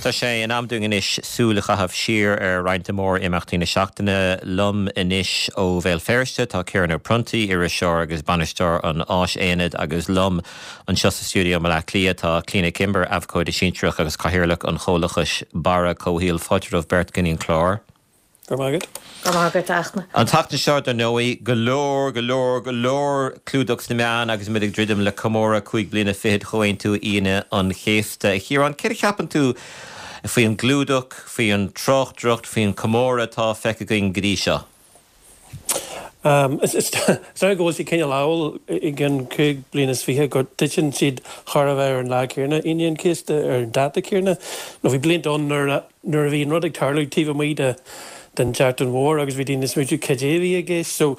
Tá sé in am dúinn anois súil a chaitheamh siar ar roinnt de mhór-imeachtaí na seachtaine. Liom anois ó Bhéal Feirste tá Ciarán Ó Pronntaigh, iriseoir agus bainisteoir an Áisaonaid agus liom anseo sa stiúideo i mBaile Átha Cliath tá Clíona Kimber, abhcóide sinsearach agus cathaoirleach an chomhlachais Barra Comhshaoil. Fáilte romhaibh beirt go dtí an clár. Go raibh maith agat. Go raibh maith agat, a Fhachtna. An tseachtain seo, dar ndóigh, go leor, go leor, go leor clúdach sna meáin agus muid ag druidim le comóradh cúig bliana fichead Chomhaontú Aoine an Chéasta. A Chiaráin, céard a cheapann tú faoi an gclúdach, faoi an tráchtaireacht, faoin chomóradh atá feicthe againn go dtí seo? Is dóigh go bhfuil sé cineál amhail i gcionn 25 bliana go dtiteann siad chóir a bheith ar an lá céanna, Aoine an Chéasta, ar an dáta céanna. Nó bhí blianta ann nuair a nuair a bhí an rud ag tarlú taobh amuigh de den tSeachtain Mhór agus bhí daoine ag smaointiú cad é a bhí i gceist. So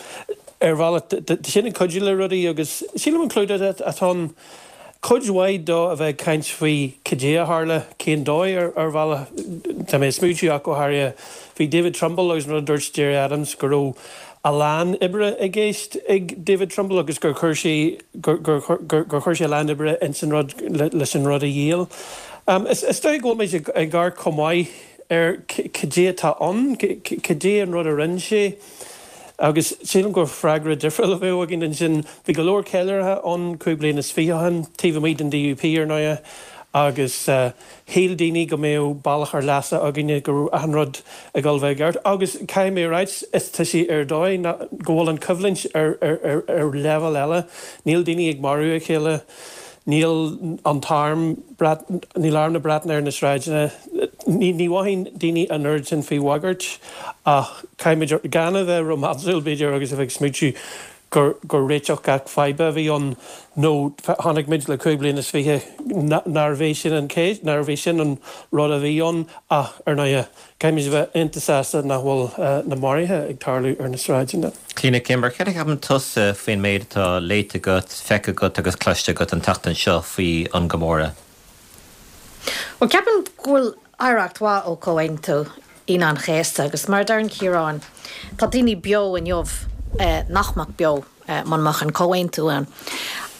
ar bhealach tá sin ag cuidiú le rudaí agus sílim an clúdach atá ann, cuid mhaith dó a bheith ag caint faoi cad é a tharla, cén dóigh ar ar bhealach. Tá mé ag smaointiú ach go háirithe faoi David Trimble agus an rud a dúirt Gerry Adams go raibh a lán oibre i gceist ag David Trimble agus gur chuir sé gur gur gur chuir sé a lán oibre ins an rud leis an rud a dhíol. Is dóigh go bhfuil muid ag amharc chomh maith ar cad é atá ann, cad é an rud a rinne sé agus sílim gur freagra difriúil a bheadh againn ansin. Bhí go leor ceiliúrtha ann 25 bliain ó shin, taobh amuigh den DUP ar ndóighe, agus shíl daoine go mbeadh bealach ár leasa againne, go raibh achan rud ag dul bheith i gceart. Agus caithfidh mé a ráit, is tá sé ar dóigh go bhfuil an choimhlint ar leibhéal eile. Níl daoine ag marú a chéile. Níl an t-arm, níl arm na Breataine ar na sráideanna. Ní mhothaíonn daoine an oiread sin faoi bhagairt ach caithfimid gan a bheith rómánsúil, b'fhéidir, agus a bheith ag smaointiú gur gur réiteach gach faidhbe a bhí ann nó chonaic muid le 25 bliain nárbh é sin an cás, nárbh é sin an rud a bhí ann ach, ar ndóighe, Caithfimid a bheith iontach sásta nach bhfuil na maruithe ag tarlú ar na sráideanna. Clíona Kimber, céard a cheapann tusa faoin méid atá léite agat, feicthe agat agus cloiste agat an tseachtain seo faoi an gcomóradh? Bhuel, ceapaim go bhfuil oidhreacht mhaith ó Chomhaontú Aoine an Chéasta agus mar a deireann Ciarán, tá daoine beo inniu nach mbeadh beo muna mbeadh an Comhaontú ann.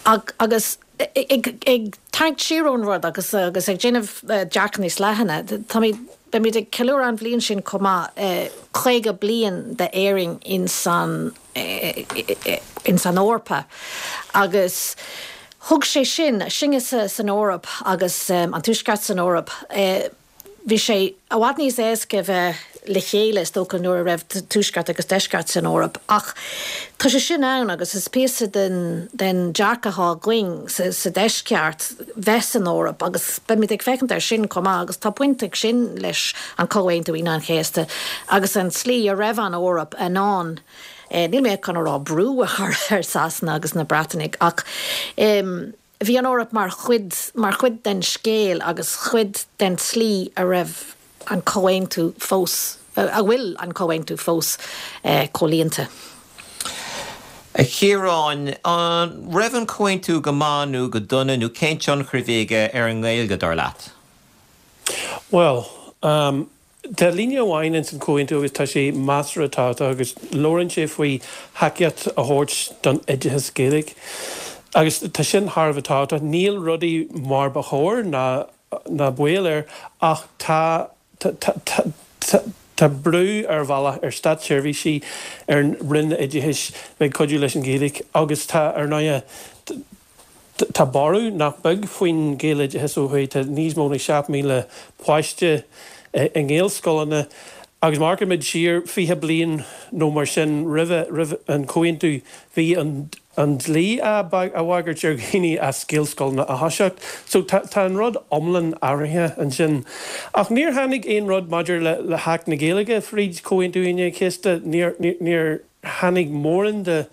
Agus Ag tarraingt siar ón rud agus agus ag déanamh dearcadh níos leithne, táimid, beimid ag ceiliúradh an bhliain sin chomh maith, 50 bliain d'Éirinn ins an, ins an Eorpa agus thug sé sin, sinne san Eoraip agus an Tuaisceart san Eoraip, Bhí sé i bhfad níos éasca bheith le chéile, is dócha, nuair a raibh Tuaisceart agus Deisceart san Eoraip. Ach tá sé sin ann agus is píosa den den dearcadh atá againn sa Deisceart bheith san Eoraip agus beimid ag féachaint air sin chomh maith agus tá baint ag sin leis an Comhaontú Aoine an Chéasta agus an tslí a raibh an Eoraip in ann, níl mé chun a rá brú a chur ar Sasana agus na Breatanaigh ach. Bhí an Eoraip mar chuid, mar chuid den scéal agus chuid den tslí a raibh an comhaontú fós, a bhfuil an comhaontú fós comhlíonta. A Chiaráin, an raibh an comhaontú go maith nó go dona nó cén tionchar a bhí aige ar an nGaeilge, dar leat? Bhuel, Tá líne amháin ins an Chomhaontú agus tá sé measartha tábhachtach agus labhrann sé faoi thacaíocht a thabhairt don oideachas Gaeilge agus tá sin thar a bheith tábhachtach. Níl rudaí mar ba chóir ná ná baol air ach tá tá tá tá brú ar bhealach ar státseirbhísigh, ar an Roinn Oideachais bheith ag cuidiú leis an Ghaeilge agus tá ar ndóighe Tá borradh nach beag faoin Ghaeloideachas ó thuaidh. Tá níos mó ná 7,000 páiste i nGaelscoileanna agus má amharcann muid siar 20 bliain nó mar sin roimhe, roimh an Chomhaontú, bhí an an dlí á bhagairt ar dhaoine as Gaelscoileanna a thoiseacht. So tá tá an rud iomlán athraithe ansin. Ach níor tháinig aon rud maidir le le hAcht na Gaeilge fríd Chomhaontú Aoine an Chéasta. Níor níor. tháinig mórán de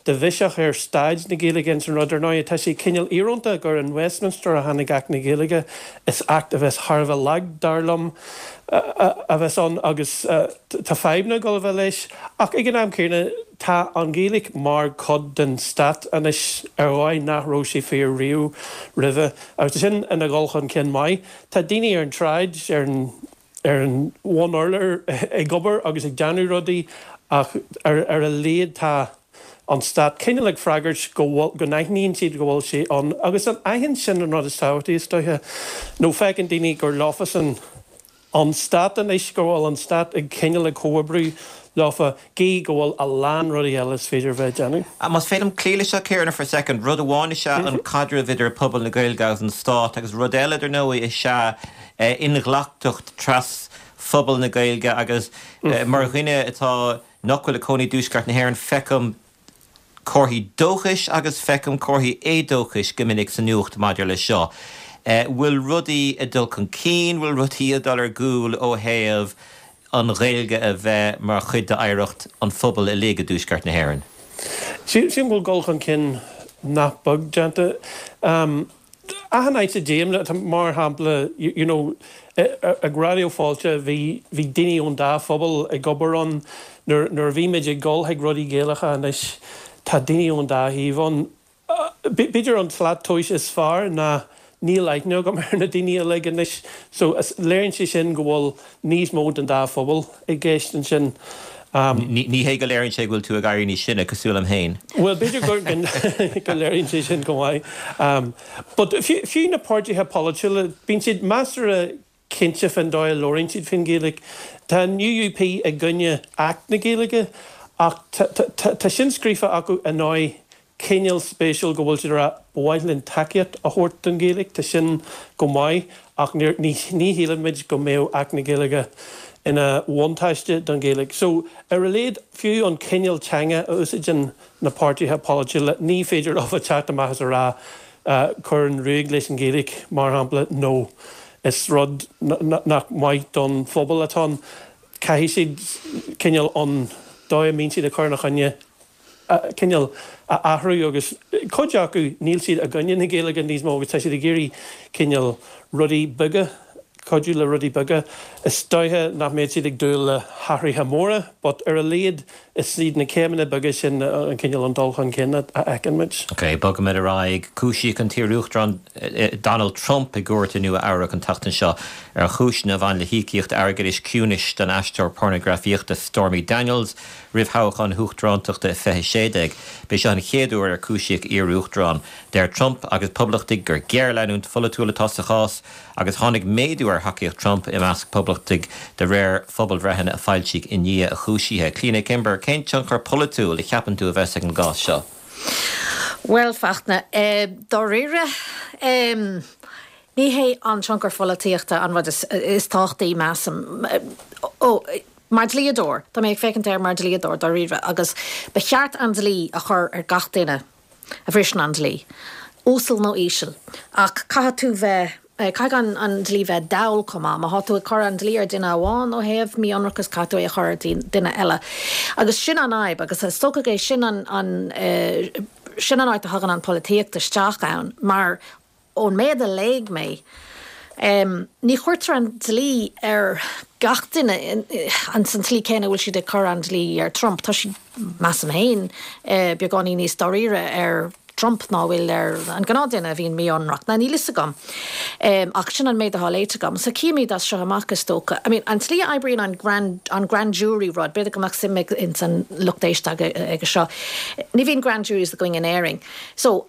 de bhiseach ar staid na Gaeilge ins an rud. Ar ndóigh, tá sé cineál íorónta gur in Westminster a tháinig Acht na Gaeilge. Is acht a bheas thar a bheith lag, dar liom, a bheas ann agus tá fadhbanna ag dul a bheith leis. Ach ag an am céanna, tá an Ghaeilge mar chuid den stát anois ar dhóigh nach raibh sé fíor riamh roimhe. Agus tá sin ina dhul chun cinn maith. Tá daoine ar an tsráid, ar an. ar an bhun-urlár ag obair agus ag déanamh rudaí ach ar a laghad tá an stát cineál ag freagairt go bhfuil, go n-aithníonn siad go bhfuil sé ann agus an aithint sin an rud is tábhachtaí is dóiche nó feiceann daoine gur leofasan. an stát anois, go bhfuil an stát ag cineál ag comhoibriú leofa, gí go bhfuil a lán rudaí eile is féidir a bheith ag déanamh. Más féidir liom cloí leis seo, Ciarán, for a second, rud amháin is ea an caidreamh idir pobal na Gaeilge agus an stát agus rud eile, dar ndóigh, is ea inghlacthacht tras-phobal na Gaeilge agus mar dhuine atá, nach bhfuil ag cónaí i dTuaisceart na hÉireann, feicim comharthaí dóchais agus feicim comharthaí éadóchais go minic sa nuacht maidir leis seo. Bhfuil rudaí ag dul chun cinn, bhfuil rudaí ag dul ar gcúl ó thaobh an Ghaeilge a bheith mar chuid d'oidhreacht an phobail uilig i dTuaisceart na hÉireann? Sílim go bhfuil dul chun cinn nach beag déanta. Achan áit a dtéim, mar shampla, you know, ag Raidió Fáilte bhí bhí daoine ón dá phobal ag obair ann. Nuair nuair a bhímid ag dul chuig rudaí Gaelacha anois tá daoine ón dá thaobh ann. B'fhéidir an tslat tomhais is fearr ná níl aithne agam ar na daoine uilig anois so léiríonn sé sin go bhfuil níos mó den dá phobal i gceist ansin. Ní hé go léiríonn sé go bhfuil tú ag éirí níos sine, cosúil liom féin. Bhuel, b'fhéidir go léiríonn sé sin go maith. But fiú na páirtithe polaitiúla, bíonn siad measartha cinnte fén dóigh a labhraíonn siad fén Ghaeilge. Tá an UUP i gcoinne Acht na Gaeilge ach tá sin scríofa acu i ndóigh cineál spéisiúil go bhfuil siad ag rá ba mhaith linn tacaíocht a thabhairt don Ghaeilge, tá sin go maith ach ní shílimid go mbeadh Acht na Gaeilge ina bhuntáiste don Ghaeilge. So, ar a laghad, fiú an cineál teanga a úsáideann na páirtithe polaitiúla, ní féidir leo teacht amach is a rá cuir an ruaig leis an Ghaeilge, mar shampla, nó is rud nach maith don phobal atá ann. Caithfidh siad cineál an dóigh a mbíonn siad ag cur ina choinne cineál a athrú agus cuid acu níl siad i gcoinne na Gaeilge níos mó agus tá siad ag iarraidh cineál rudaí beaga, cuidiú le rudaí beaga. Is dóiche nach mbeadh siad ag dúil le hathruithe móra but ar a laghad is iad na céimeanna beaga sin an cineál an dul chun cinn a fheiceann muid. Ok, bogfaimid ar aghaidh. Cúisíodh an t-iarUachtarán Donald Trump i gcúirt i Nua Eabhrac an tseachtain seo ar chúiseanna a bhain le híocaíocht airgeadais ciúnais don aisteoir pornagrafaíochta Stormy Daniels. Roimh thoghchán na huachtarántachta i 2016, b'é seo an chéad uair ar cúisíodh iar-uachtarán. Deir Trump agus poblachtaigh gur géarleanúint pholaitiúil atá sa chás agus tháinig méadú ar thacaíocht Trump i measc poblachtaigh de réir phobalbhreitheanna a foilsíodh i ndiaidh a chúisithe. Clíona Kimber, cén tionchar polaitiúil a cheapann tú a bheas ag an gcás seo? Bhuel, Fachtna, dáiríre, ní hé an tionchar pholaitíochta an rud is tábhachtaí, measaim. Ó. Mar dhlíodóir, tá mé ag féachaint air mar dhlíodóir dáiríre, agus ba cheart an dlí a chur ar gach duine a bhriseann an dlí, uasal nó íseal, ach caithfidh tú bheith, caithfidh an dlí bheith dall chomh maith. Má thá tú ag cur an dlí ar duine amháin ó thaobh mí-ionracas, caithfidh tú é a chur ar duine eile. Agus sin an fhadhb, agus is dócha é sin an, an, sin an áit a thagann an polaitíocht isteach ann, mar Ón méad a léigh mé, ní chuirtear an dlí ar gach duine ins an tslí céanna a bhfuil siad ag cur an dlí ar Trump. Tá siad, measaim féin, beagáinín níos dáiríre ar Trump ná a bhfuil ar an gnáthduine a bhíonn mí-ionraic. Now, níl fhios agam, ach sin an méid atá léite agam. So cífimid as seo amach, is dócha. I mean, an tslí a oibríonn an grand, an grand jury rud, b'fhéidir go mbeadh suim ag ins an lucht éisteachta aige seo. Ní bhíonn grand juries againn in Éirinn. So,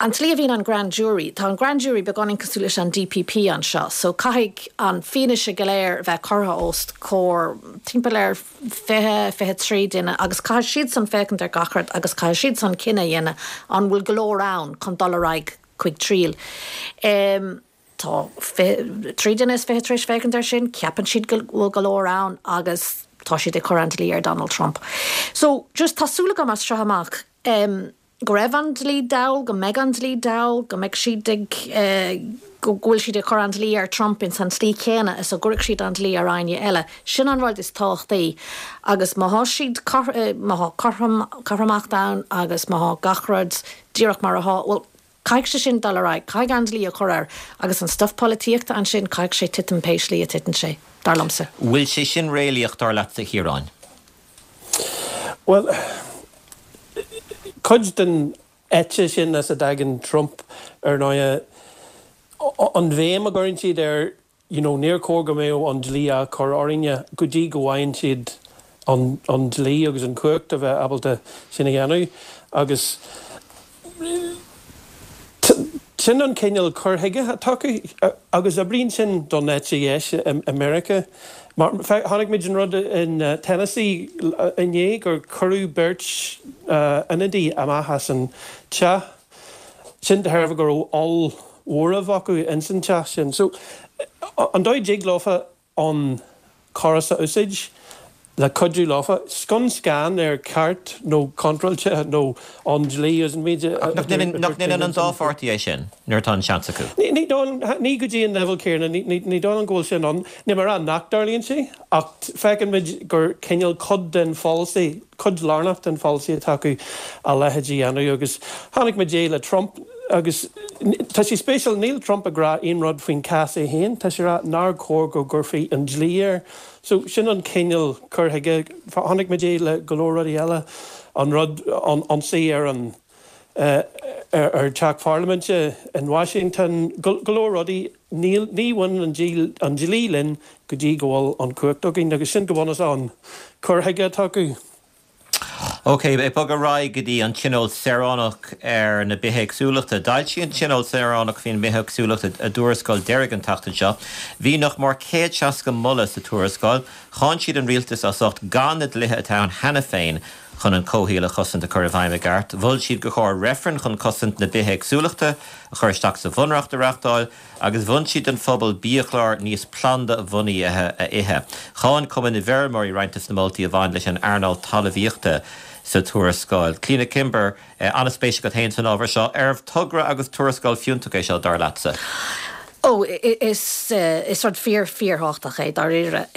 An tslí a bhíonn an grand jury, tá an grand jury beagáinín cosúil leis an DPP anseo, so caithfidh an fianaise go léir a bheith curtha os comhair timpeall ar 20, 23 duine agus caithfidh siadsan féachaint ar gach rud agus caithfidh siadsan cinneadh a dhéanamh an bhfuil go leor ann chun dul ar aghaidh chuig triail. Tá 23 duine tar éis féachaint air sin, ceapann siad go bhfuil go leor ann agus tá siad ag cur an dlí ar Donald Trump. So just tá súil agam as seo amach, go raibh an dlí dall, go mbeidh an dlí dall, go mbeidh siad ag, go bhfuil siad ag cur an dlí ar Trump ins an tslí chéanna is a gcuirfeadh siad an dlí ar éinne eile. Sin an rud is tábhachtaí. Agus má thá siad, má thá cothrom, cothromacht ann agus má thá gach rud díreach mar athá, bhuel, caithfidh sé sin dul ar aghaidh, caithfidh an dlí a chur air agus an stuif polaitíochta ansin, caithfidh sé titim pé slí a titeann sé, dar liomsa. Bhfuil sé sin réalaíoch, dar leatsa, a Chiaráin? Bhuel, cuid den eite sin as a dtagann Trump, ar ndóighe, an bhéim a gcuireann siad ar, you know, níor chóir go mbeadh an dlí á chur orainne go dtí go bhfaigheann siad an dlí agus an chumhacht a bheith ábalta sin a dhéanamh. Agus. Sin an cineál cur chuige atá acu agus oibríonn sin don eite dheis i Meiriceá. Mar chonaic muid an rud in Tennessee inné gur cuireadh beirt ionadaí amach as an teach. Sin de thairbhe go raibh ollmhóramh acu ins an teach sin. So an dóigh a dtig leofa an córas a úsáid le cuidiú leofa, scun scan ar ceart nó contráilte nó an dlí agus an méid a Ach nach ndéanann an dá pháirtí é sin nuair atá an seans acu? Ní dóigh liom, ní go dtí an leibhéal céanna, ní dóigh liom go bhfuil sin ann. Níl mé ag rá nach dtarlaíonn sé ach feiceann muid gur cineál cuid den pholasaí, cuid lárnach den pholasaí atá acu a leithéid a dhéanamh agus chonaic muid é le Trump agus tá sé spéisiúil, níl Trump ag rá aon rud faoin cás é féin, tá sé ag rá nár chóir go gcuirfí an dlí air. So sin an cineál cur chuige, chonaic muid é le go leor rudaí eile, an rud, an ionsaí ar an ar teach pharlaiminte in Washington, go leor rudaí, níl, ní bhaineann an dlí linn go dtí go bhfuil an chumhacht againn agus sin go bunúsach an cur chuige atá acu. Ok, ag bogadh ar aghaidh go dtí an Tionól Saoránach ar na Bithéagsúlachta. D'fhoilsigh an Tionól Saoránach faoin mBithéagsúlacht a dtuarascáil deiridh an tseachtain seo. Bhí nach mór 160 moladh sa tuarascáil. Cháin siad an rialtas as ucht gan na dlíthe atá ann cheana féin chun an comhshaol a chosaint a chur i bhfeidhm i gceart. Mhol siad gur chóir reifreann chun cosaint na bithéagsúlachta a chur isteach sa bhunreacht a reáchtáil agus mhol siad don phobal biachlár níos planda-bhunaithe a ithe. Cháin Cumann na bhFeirmeoirí roinnt de na moltaí a bhain leis an earnáil talmhaíochta sa tuarascáil. Clíona Kimber, an-spéis agat féin san ábhar seo. Arbh togra agus tuarascáil fiúntach é seo, dar leatsa? Ó, is rud fíor, fíorthábhachtach é, dáiríre.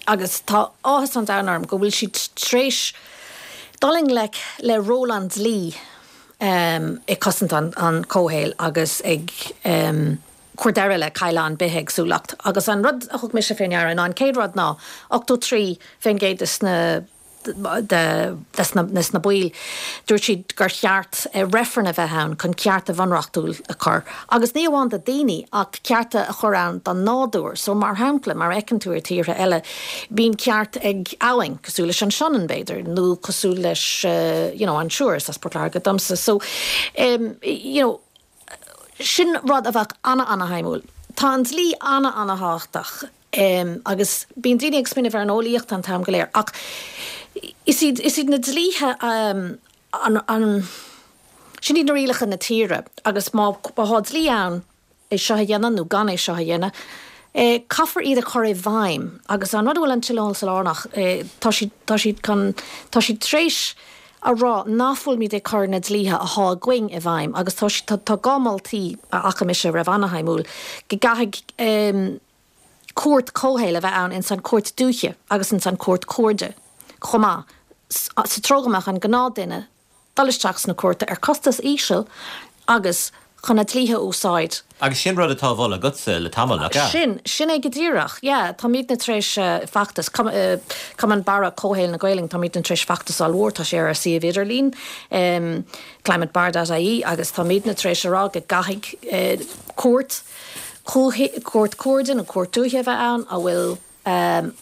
Agus tá áthas an domhain orm go bhfuil siad tar éis dul i ngleic le ról an dlí ag cosaint an chomhshaoil agus ag cur deireadh le cailleadh an bithéagsúlacht. Agus an rud a thug mise fé ndeara ná an chéad rud ná 83% des na des na baill, dúirt siad gur cheart reifreann a bheith ann chun cearta bhunreachtúil a chur, agus ní amháin do daoine ach cearta a chur ann don nádúr. So mar shampla, mar a fheiceann tú ar tíortha eile, bíonn ceart ag abhainn, cosúil leis an Sionainn b'fhéidir, nó cosúil leis you know an Siúir, is as Port Láirge domsa, so you know sin rud a bheadh ana-ana-shuimiúil. Tá an dlí ana-ana-thábhachtach. Agus bíonn daoine ag smaoineamh ar an eolaíocht an t-am go léir, ach is iad, is iad na dlíthe an, an, sin iad na rialacha na tíre agus má, má thá dlí ann é seo a dhéanamh nó gan é seo a dhéanamh, caithfear iad a chur i bhfeidhm agus an rud a bhfuil an Tionól Saoránach, tá siad, tá siad chun, tá siad tar éis a rá nach bhfuilimid ag cur na dlíthe athá againn i bhfeidhm agus tá, tá, tá dhá moltaí a fhaca mise a raibh ana-shuimiúil, go gcaithfidh, cúirt comhshaoil a bheith ann ins an cúirt dúiche agus ins an cúirt cuarda chomh maith sa treo go mbeadh an gnáth duine dul isteach sna cúirte ar costas íseal agus chun na dlíthe a úsáid. Agus sin rud atá á mholadh agatsa le tamall, nach ea? Sin, sin é go díreach, yeah. Táimidne tar éis feachtas, Cumann Barra Comhshaoil na Gaolainn, táimidne tar éis feachtas ollmhór, tá sé ar ár suíomh idirlín, climatebarr dot ie, agus táimidne tar éis a rá go gcaithfidh cúirt, Cúirt Cuarda nó Cúirt Dúiche a bheith ann a bhfuil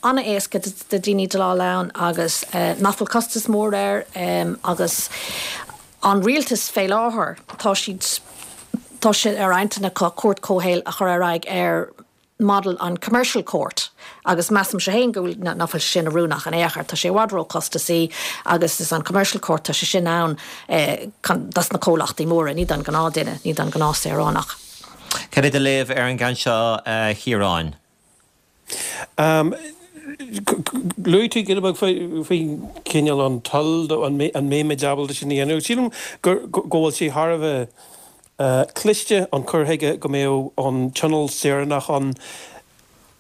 an-éasca do daoine déileáil ann agus nach bhfuil costas mór air agus an rialtas fé láthair tá siad tá sé ar intinn acu cúirt comhshaoil a chur ar aghaidh ar model an commercial court agus measaimse féin go bhfuil nach bhfuil sé sin oiriúnach in aon chor tá sé i bhfad ró-chostasaí agus is an commercial court tá sé sin ann dos na comhlachtaí móra ní don gnáth-duine ní don gnáth-saoránach. Cad é do léamh ar an gceann seo, a Chiaráin? Luaigh tú giota beag faoi chineál an toil, an mbeimid ábalta sin a dhéanamh. Sílim go bhfuil sé thar a bheith cliste an cur chuige go mbeadh an tionól saoránach ann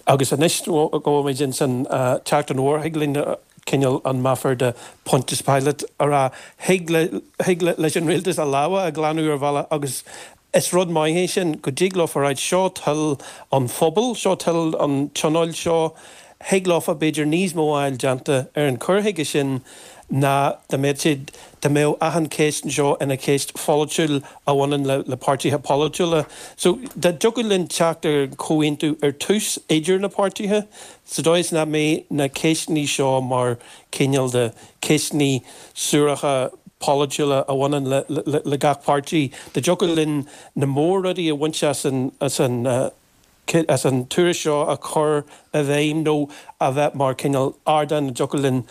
agus anois go bhfuilimid ins an tseachtain mhór, thig linn cineál an meafar de Pontius Pilate a rá, thig leis an rialtas a lámha a ghlanadh ar bhealach agus Is rud maith é sin, go dtig leofa a ráit, seo toil an phobail, seo toil an tionóil seo. Thig leofa b'fhéidir níos mó a fháil déanta ar an chur chuige sin ná dá mbeadh siad, dá mbeadh achan cheist anseo ina cheist pholaitiúil a bhaineann le le páirtithe polaitiúla. So dá dtiocfadh linn teacht ar chomhaontú ar tús idir na páirtithe, sa dóigh is nach mbeidh na ceisteanna seo mar cineál de cheisteanna suaracha. polaitiúla a bhaineann le gach páirtí. Dá dtiocfadh linn na mór-rudaí a bhaint as an as an as an tuairisc seo a chur i bhfeidhm nó a bheith mar cineál ardán a dtiocfadh linn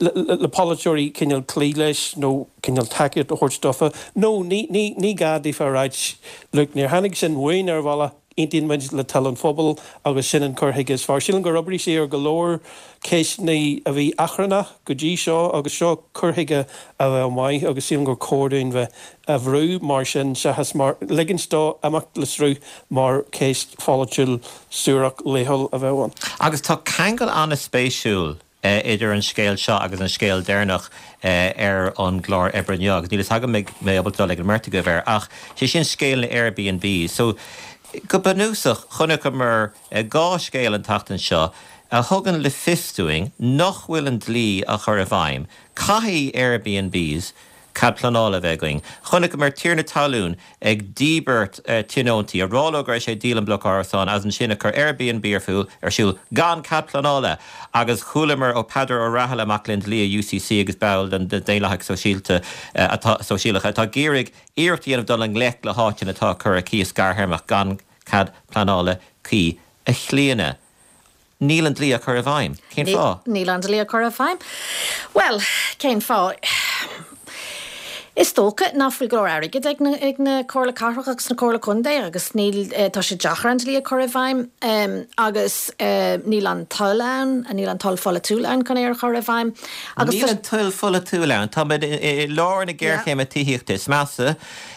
le polaiteoirí cineál cloí leis nó cineál tacaíocht a thabhairt dófa. Nó ní ní ní gá daofa a ráit look níor tháinig sin uainn ar bhealach, aontaíonn muid le toil an phobail agus sin an cur chuige is fearr. Sílim gur oibrigh sé ar go leor ceisteanna a bhí achrannach go dtí seo agus seo cur chuige a bheadh maith agus sílim gur chóir dúinn bheith á bhrú mar sin seachas mar ligint dó imeacht le sruth mar cheist pholaitiúil suarach laethúil a bheadh ann. Agus tá ceangal an-spéisiúil idir an scéal seo agus an scéal deireanach ar an gclár oibre inniu, agus níl fhios agam an mbeidh mé ábalta dul ag an mbeirt agaibh air, ach sé sin scéal na Airbnbs. So, go bunúsach, chonaiceamar 2 scéal an tseachtain seo a thugann le fios dúinn nach bhfuil an dlí á chur i bhfeidhm. Caithfidh Airbnbs cead pleanála a bheith againn. Chonaiceamar tiarna talún ag díbirt tionóntaí, ag rá leo go raibh sé ag díol an bloc árasán agus ansin ag cur Airbnb ar siúl ar siúl gan cead pleanála! Agus chualamar ó Peadar Ó Rathaille, mac léinn dlí i UCC agus ball den Daonlathach Sóisialta atá Sóisialach atá ag iarraidh iarracht a dhéanamh dul i ngleic le háiteanna atá ag cur ar cíos gearrthéarmach gan cead pleanála cuí. A Chlíona. Níl an dlí á chur i bhfeidhm. Cén fáth? Níl an dlí á chur i bhfeidhm. Bhuel, cén fáth? Is dócha nach bhfuil go leor airgid ag na, ag na Comhairle Cathrach agus na Comhairle Contae agus níl, tá sé deacair an dlí a chur i bhfeidhm agus níl an toil ann, níl an toil pholaitiúil ann chun é a chur i bhfeidhm agus Níl an toil pholaitiúil ann. Táimid i lár na géarchéime tithíochta is measa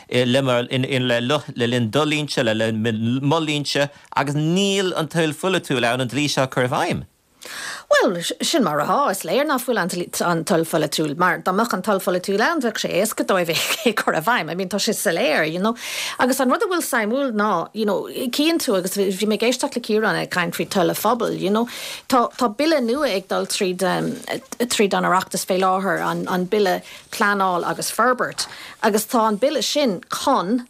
le, le linn do linnse, le linn mo linnse. Agus níl an toil pholaitiúil ann an dlí seo a chur i bhfeidhm. Bhuel, sin mar atá. Is léir nach bhfuil an toil pholaitiúil, mar dá mbeadh an toil pholaitiúil ann, bheadh sé éasca dóibh é a chur i bhfeidhm. I mean, tá sé soiléir, you know. Agus an rud a bhfuil suimiúil ná, you know, cíonn tú, agus bhí mé ag éisteacht le Ciarán ag caint faoi toil an phobail, you know, tá, tá bille nua ag dul tríd, tríd an Oireachtas fé láthair, an, an Bille Pleanáil agus Forbairt, agus tá an bille sin chun,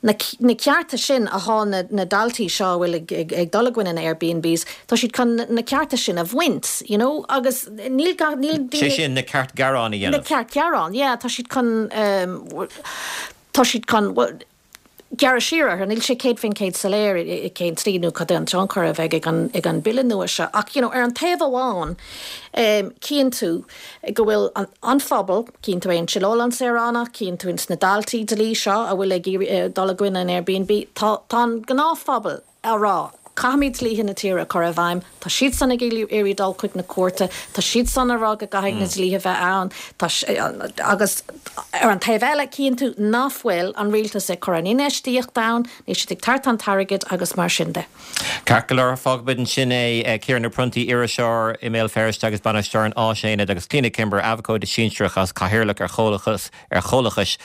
Na cearta sin athá na daltaí seo a bhfuil ag dul i gcoinne na Airbnbs, tá siad chun na cearta sin a bhaint, you know, agus níl gach, níl daoine. Sé sin, na ceart gearán a dhéanamh. Na ceart gearán, yeah, tá siad chun, tá siad chun, bhuel, gearradh siar orthu, níl sé 100% soiléir i cén tslí nó cad é an tionchar a bheidh ag an, ag an bille nua seo ach, you know, ar an taobh amháin, cíonn tú go bhfuil an phobal, Cíonn tú é in Tionól na Saoránach, cíonn tú ins na daltaí dlí seo a bhfuil ag iarraidh dul i gcoinne an Airbnb. Tá tá an gnáthphobal á rá, caithfimid dlíthe na tíre a chur i bhfeidhm, tá siadsan ag iarraidh dul chuig na cúirte, tá siadsan ag rá go gcaithfidh na dlíthe bheith ann, tá agus ar an taobh eile cíonn tú nach bhfuil an rialtas ag cur an infheistíocht ann, níl siad ag tabhairt an t-airgead agus mar sin de. Ceart go leor, fágfaimid ansin é. Ciarán Ó Pronntaigh, iriseoir i mBéal Feirste agus bainisteoir an Áisaonaid agus Clíona Kimber, abhcóide sinsearach agus cathaoirleach ar Chomhlachas ar Chomhlachais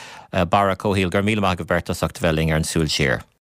Barra Comhshaoil. Go raibh míle maith agaibh beirt as ucht a bheith linn ar an Súil Siar.